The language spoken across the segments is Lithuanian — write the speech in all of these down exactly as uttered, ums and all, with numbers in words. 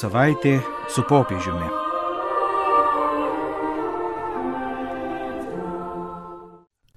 savaitė su popiežiumi.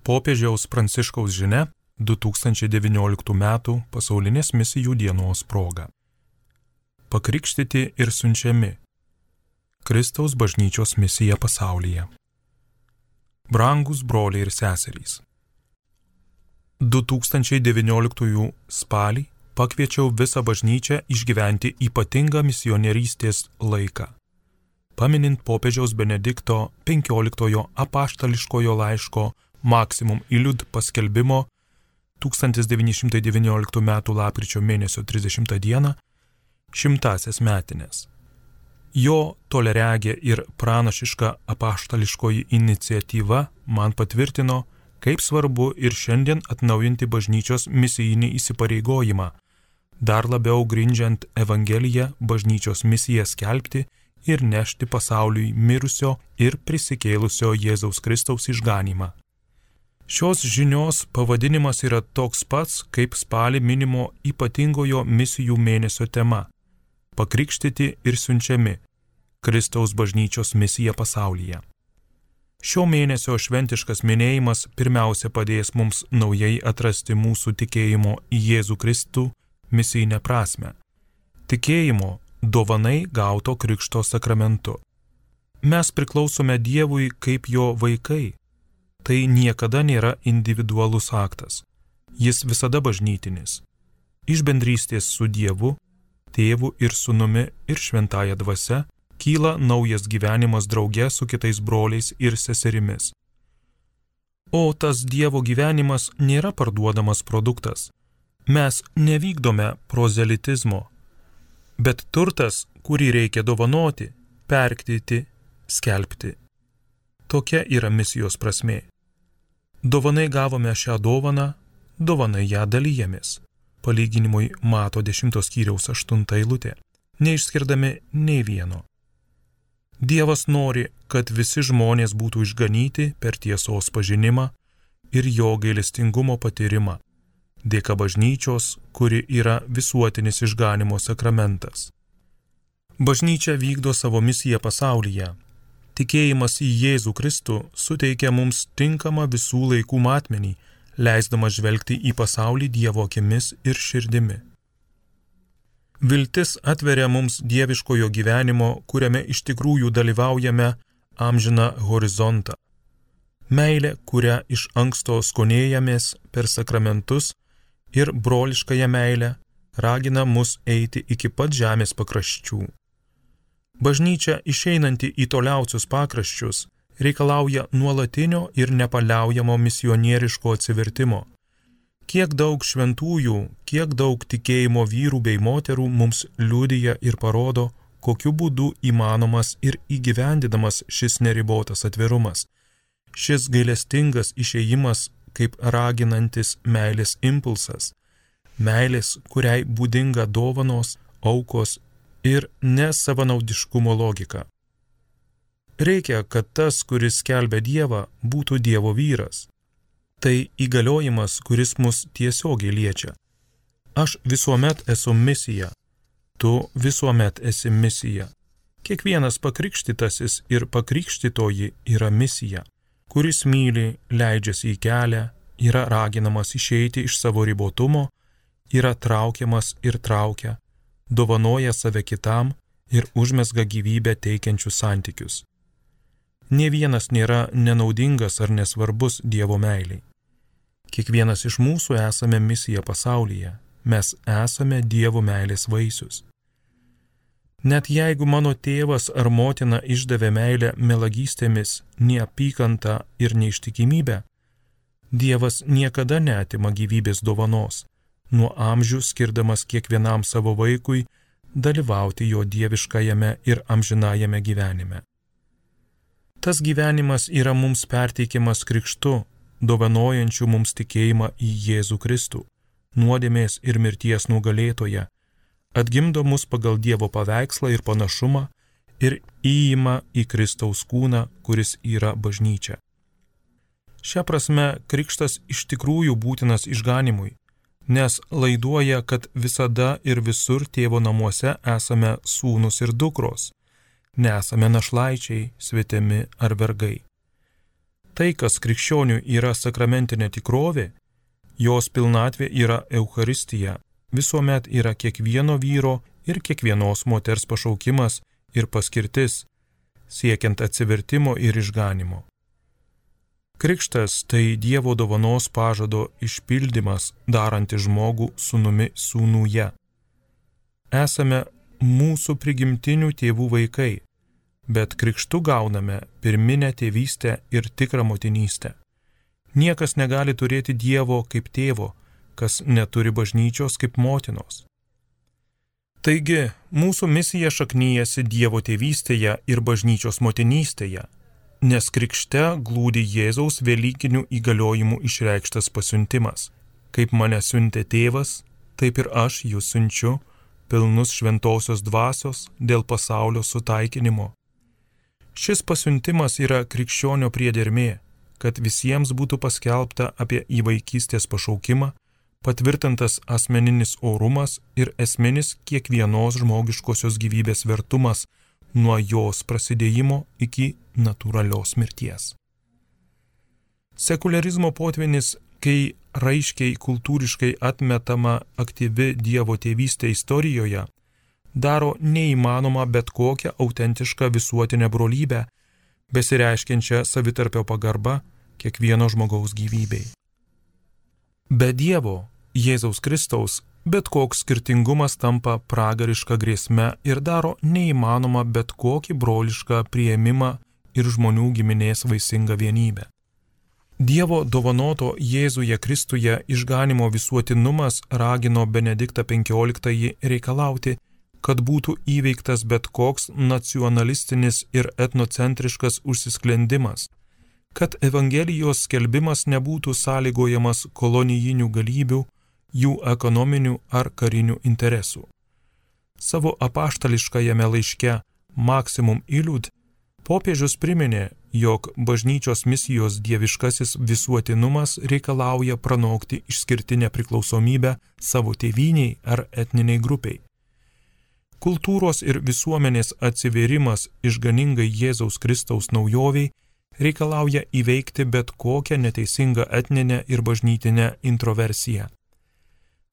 Popiežiaus Pranciškaus žinia du tūkstančiai devynioliktų metų pasaulinės misijų dienos proga. Pakrikštyti ir siunčiami. Kristaus bažnyčios misija pasaulyje. Brangūs broliai ir seserys. du tūkstančiai devynioliktųjų spalį pakviečiau visą bažnyčią išgyventi ypatingą misionierystės laiką, paminint popiežiaus Benedikto penkioliktojo apaštališkojo laiško Maximum Illud paskelbimo tūkstantis devyni šimtai devynioliktų metų lapkričio mėnesio trisdešimtą dieną šimtąsias metines. Jo toleregė ir pranašiška apaštališkoji iniciatyva man patvirtino, kaip svarbu ir šiandien atnaujinti bažnyčios misijinį įsipareigojimą, dar labiau grindžiant Evangeliją bažnyčios misiją skelbti ir nešti pasauliui mirusio ir prisikėlusio Jėzaus Kristaus išganymą. Šios žinios pavadinimas yra toks pats, kaip spalį minimo ypatingojo misijų mėnesio tema – pakrikštyti ir siunčiami – Kristaus bažnyčios misija pasaulyje. Šio mėnesio šventiškas minėjimas pirmiausia padės mums naujai atrasti mūsų tikėjimo į Jėzų Kristų misijinę prasmę. Tikėjimo dovanai gauto krikšto sakramentu. Mes priklausome Dievui kaip jo vaikai. Tai niekada nėra individualus aktas. Jis visada bažnytinis. Iš bendrystės su Dievu, Tėvu ir Sūnumi ir Šventąja Dvasia kyla naujas gyvenimas drauge su kitais broliais ir seserimis. O tas Dievo gyvenimas nėra parduodamas produktas. Mes nevykdome prozelitizmo, bet turtas, kurį reikia dovanoti, perktyti, skelbti. Tokia yra misijos prasmė. Dovanai gavome šią dovaną, dovanai ją dalyjamės. Palyginimui Mato dešimtos skyriaus aštunta eilutė, neišskirdami nei vieno. Dievas nori, kad visi žmonės būtų išganyti per tiesos pažinimą ir jo gailestingumo patyrimą, dėka bažnyčios, kuri yra visuotinis išganimo sakramentas. Bažnyčia vykdo savo misiją pasaulyje. Tikėjimas į Jėzų Kristų suteikia mums tinkamą visų laikų matmenį, leisdama žvelgti į pasaulį Dievo akimis ir širdimi. Viltis atveria mums dieviškojo gyvenimo, kuriame iš tikrųjų dalyvaujame, amžiną horizontą. Meilė, kurią iš anksto skonėjamės per sakramentus ir broliškąją meilę, ragina mus eiti iki pat žemės pakraščių. Bažnyčia, išeinanti į toliausius pakraščius, reikalauja nuolatinio ir nepaliaujamo misionieriško atsivertimo. Kiek daug šventųjų, kiek daug tikėjimo vyrų bei moterų mums liudija ir parodo, kokiu būdu įmanomas ir įgyvendinamas šis neribotas atvirumas, šis gailestingas išėjimas kaip raginantis meilės impulsas, meilės, kuriai būdinga dovanos, aukos ir nesavanaudiškumo logika. Reikia, kad tas, kuris skelbia Dievą, būtų Dievo vyras. Tai įgaliojimas, kuris mus tiesiogiai liečia. Aš visuomet esu misija. Tu visuomet esi misija. Kiekvienas pakrikštytasis ir pakrikštytoji yra misija, kuris myli, leidžiasi į kelią, yra raginamas išeiti iš savo ribotumo, yra traukiamas ir traukia, dovanoja save kitam ir užmezga gyvybę teikiančius santykius. Nė vienas nėra nenaudingas ar nesvarbus Dievo meiliai. Kiekvienas iš mūsų esame misija pasaulyje, mes esame Dievo meilės vaisius. Net jeigu mano tėvas ar motina išdavė meilę melagystėmis, neapykantą ir neištikimybę, Dievas niekada neatima gyvybės dovanos, nuo amžių skirdamas kiekvienam savo vaikui dalyvauti jo dieviškajame ir amžinajame gyvenime. Tas gyvenimas yra mums perteikiamas krikštu, dovanojančių mums tikėjimą į Jėzų Kristų, nuodėmės ir mirties nugalėtoją, atgimdo mus pagal Dievo paveikslą ir panašumą ir įima į Kristaus kūną, kuris yra bažnyčia. Šia prasme, krikštas iš tikrųjų būtinas išganimui, nes laiduoja, kad visada ir visur tėvo namuose esame sūnus ir dukros, nesame našlaičiai, svetimi ar vergai. Tai, kas krikščionių yra sakramentinė tikrovė, jos pilnatvė yra Eucharistija, visuomet yra kiekvieno vyro ir kiekvienos moters pašaukimas ir paskirtis, siekiant atsivertimo ir išganimo. Krikštas tai Dievo dovanos pažado išpildymas, darantis žmogų sūnumi sūnuje. Esame mūsų prigimtinių tėvų vaikai, bet krikštu gauname pirminę tėvystę ir tikrą motinystę. Niekas negali turėti Dievo kaip tėvo, kas neturi bažnyčios kaip motinos. Taigi, mūsų misija šaknyjasi Dievo tėvystėje ir bažnyčios motinystėje, nes krikšte glūdi Jėzaus velykinių įgaliojimų išreikštas pasiuntimas. Kaip mane siuntė tėvas, taip ir aš jūs siunčiu, pilnus šventosios dvasios dėl pasaulio sutaikinimo. Šis pasiuntimas yra krikščionio priedermė, kad visiems būtų paskelbta apie įvaikystės pašaukimą, patvirtintas asmeninis orumas ir esminis kiekvienos žmogiškosios gyvybės vertumas nuo jos prasidėjimo iki natūralios mirties. Sekularizmo potvinis, kai raiškiai kultūriškai atmetama aktyvi Dievo tėvystė istorijoje, daro neįmanoma bet kokią autentišką visuotinę brolybę, besireiškiančią savitarpio pagarbą kiekvieno žmogaus gyvybei. Be Dievo, Jėzaus Kristaus, bet koks skirtingumas tampa pragariška grėsme ir daro neįmanoma bet kokį brolišką priėmimą ir žmonių giminės vaisingą vienybę. Dievo dovanoto Jėzuje Kristuje išganimo visuotinumas ragino Benediktą penkioliktąjį reikalauti, kad būtų įveiktas bet koks nacionalistinis ir etnocentriškas užsisklendimas, kad Evangelijos skelbimas nebūtų sąlygojamas kolonijinių galybių, jų ekonominių ar karinių interesų. Savo apaštališkajame laiške Maximum Illud popiežius priminė, jog bažnyčios misijos dieviškasis visuotinumas reikalauja pranokti išskirtinę priklausomybę savo tėvyniai ar etniniai grupiai. Kultūros ir visuomenės atsivėrimas išganingai Jėzaus Kristaus naujoviai reikalauja įveikti bet kokią neteisingą etninę ir bažnytinę introversiją.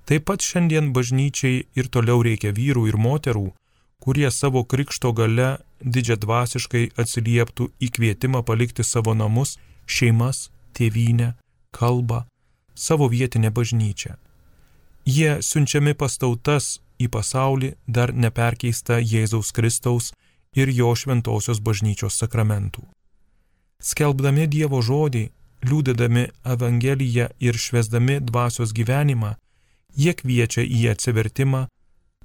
Taip pat šiandien bažnyčiai ir toliau reikia vyrų ir moterų, kurie savo krikšto gale didžiadvasiškai atsilieptų į kvietimą palikti savo namus, šeimas, tėvynę, kalbą, savo vietinę bažnyčią. Jie siunčiami pas tautas į pasaulį dar neperkeista Jėzaus Kristaus ir jo šventosios bažnyčios sakramentų. Skelbdami Dievo žodį, liudydami Evangeliją ir švęsdami dvasios gyvenimą, jie kviečia į atsivertimą,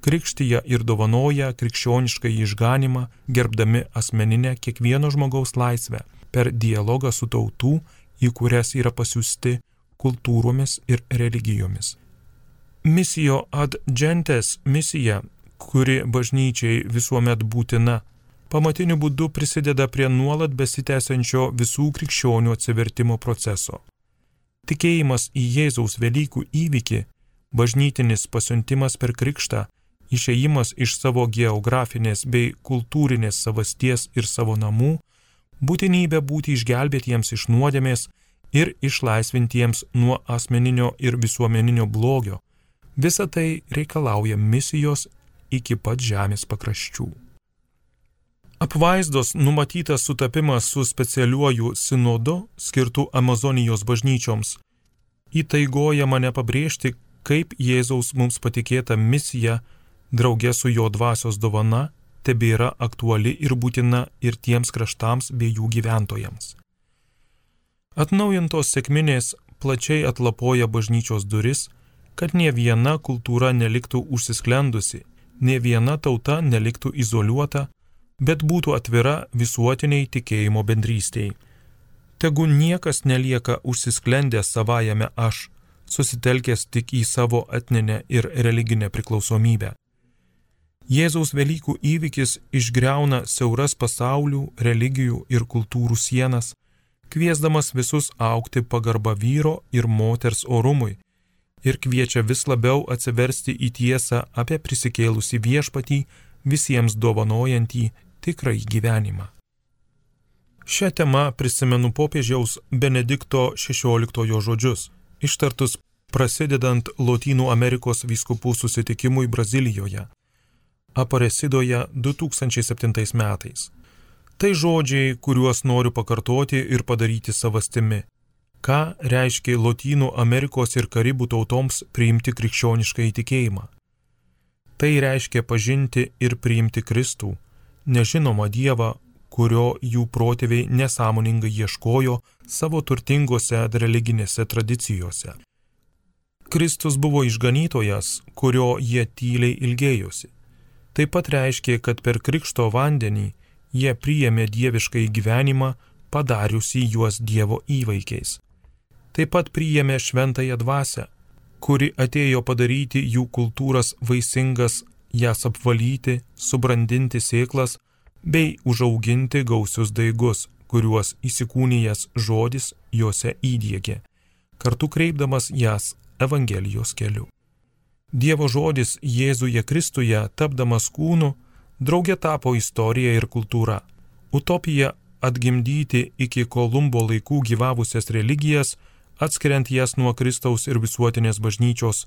krikštyje ir dovanoja krikščionišką išganimą, gerbdami asmeninę kiekvieno žmogaus laisvę per dialogą su tautų, į kurias yra pasiųsti kultūromis ir religijomis. Missio ad gentes misija, kuri bažnyčiai visuomet būtina, pamatiniu būdu prisideda prie nuolat besitęsiančio visų krikščionių atsivertimo proceso. Tikėjimas į Jėzaus Velykų įvykį, bažnytinis pasiuntimas per krikštą, išėjimas iš savo geografinės bei kultūrinės savasties ir savo namų, būtinybė būti išgelbėtiems iš nuodėmės ir išlaisvintiems nuo asmeninio ir visuomeninio blogio, visa tai reikalauja misijos iki pat žemės pakraščių. Apvaizdos numatytas sutapimas su specialiuoju sinodu skirtu Amazonijos bažnyčioms įtaigoja mane pabrėžti, kaip Jėzaus mums patikėta misija drauge su jo dvasios dovana tebėra aktuali ir būtina ir tiems kraštams bei jų gyventojams. Atnaujintos sekminės plačiai atlapoja bažnyčios duris, kad nė viena kultūra neliktų užsisklendusi, nė viena tauta neliktų izoliuota, bet būtų atvira visuotiniai tikėjimo bendrystei. Tegu niekas nelieka užsisklendęs savajame aš, susitelkęs tik į savo etninę ir religinę priklausomybę. Jėzaus Velykų įvykis išgriauna siauras pasaulių, religijų ir kultūrų sienas, kviesdamas visus augti pagarbą vyro ir moters orumui ir kviečia vis labiau atsiversti į tiesą apie prisikėlusį viešpatį, visiems dovanojantį tikrąjį gyvenimą. Šią temą prisimenu popiežiaus Benedikto šešioliktojo žodžius, ištartus prasidedant Lotynų Amerikos vyskupų susitikimui Brazilijoje, Aparecidoje du tūkstančiai septintais metais. Tai žodžiai, kuriuos noriu pakartoti ir padaryti savastimi. Ką reiškia Lotynų Amerikos ir Karibų tautoms priimti krikščionišką įtikėjimą? Tai reiškia pažinti ir priimti Kristų, nežinomą Dievą, kurio jų protėviai nesąmoningai ieškojo savo turtingose religinėse tradicijose. Kristus buvo išganytojas, kurio jie tyliai ilgėjosi. Taip pat reiškia, kad per krikšto vandenį jie priėmė dieviškąjį gyvenimą, padariusi juos Dievo įvaikiais. Taip pat priėmė šventąją dvasią, kuri atėjo padaryti jų kultūras vaisingas, jas apvalyti, subrandinti sėklas bei užauginti gausius daigus, kuriuos įsikūnijęs žodis juose įdiegė, kartu kreipdamas jas Evangelijos keliu. Dievo žodis Jėzuje Kristuje, tapdamas kūnu, draugė tapo istorija ir kultūra. Utopija atgimdyti iki Kolumbo laikų gyvavusias religijas, atskiriant jas nuo Kristaus ir visuotinės bažnyčios,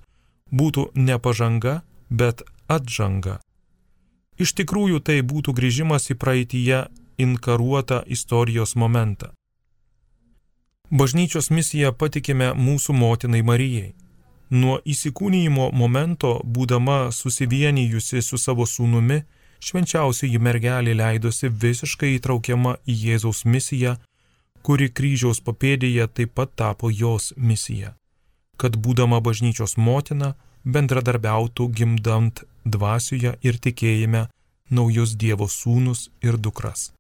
būtų ne pažanga, bet atžanga. Iš tikrųjų tai būtų grįžimas į praeityje inkaruotą istorijos momentą. Bažnyčios misiją patikime mūsų motinai Marijai. Nuo įsikūnijimo momento, būdama susivienijusi su savo sūnumi, švenčiausioji mergelė leidosi visiškai įtraukiama į Jėzaus misiją, kuri kryžiaus papėdėje taip pat tapo jos misija, kad būdama bažnyčios motina bendradarbiautų gimdant dvasioje ir tikėjime naujus Dievo sūnus ir dukras.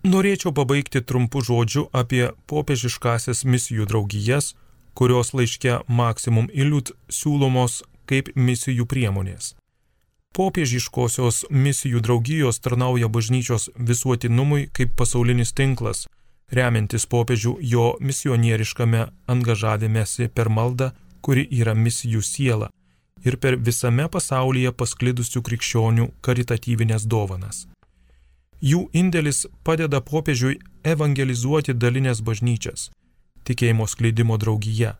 Norėčiau pabaigti trumpu žodžiu apie popiežiškąsias misijų draugijas, kurios laiške Maximum Illud siūlomos kaip misijų priemonės. Popiežiškosios misijų draugijos tarnauja bažnyčios visuotinumui kaip pasaulinis tinklas, remiantis popiežių jo misionieriškame angažavimesi per maldą, kuri yra misijų siela, ir per visame pasaulyje pasklidusių krikščionių karitatyvinės dovanas. Jų indėlis padeda popiežiui evangelizuoti dalinės bažnyčias, tikėjimo skleidimo draugija,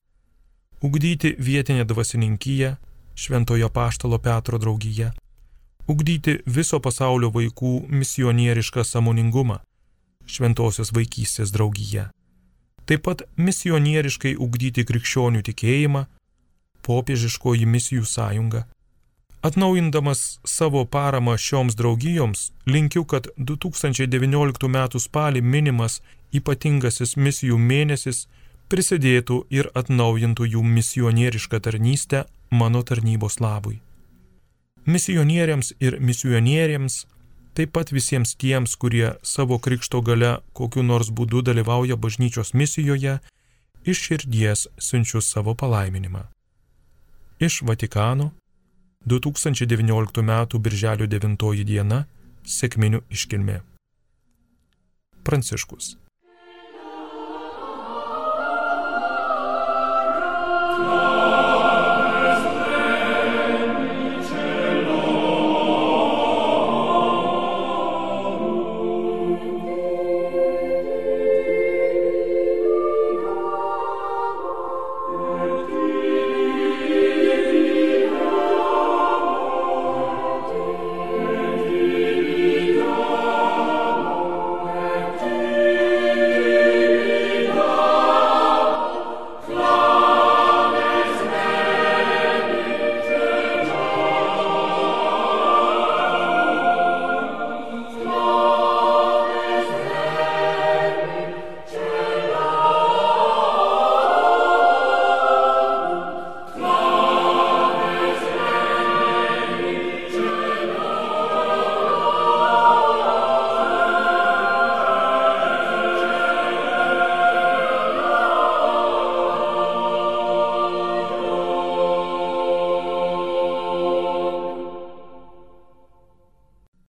ugdyti vietinę dvasininkiją, Šventojo Apaštalo Petro draugija, ugdyti viso pasaulio vaikų misionierišką sąmoningumą, Šventosios vaikystės draugija. Taip pat misionieriškai ugdyti krikščionių tikėjimą, popiežiškoji misijų sąjunga. Atnaujindamas savo paramą šioms draugijoms, linkiu, kad du tūkstančiai devynioliktų metų spalį minimas ypatingasis misijų mėnesis prisidėtų ir atnaujintų jų misionierišką tarnystę mano tarnybos labui. Misionieriams ir misionieriams, taip pat visiems tiems, kurie savo krikšto gale kokiu nors būdu dalyvauja bažnyčios misijoje, iš širdies siunčiu savo palaiminimą. Iš Vatikano, du tūkstančiai devynioliktų metų birželio devintoji diena, sekminių iškilmė. Pranciškus.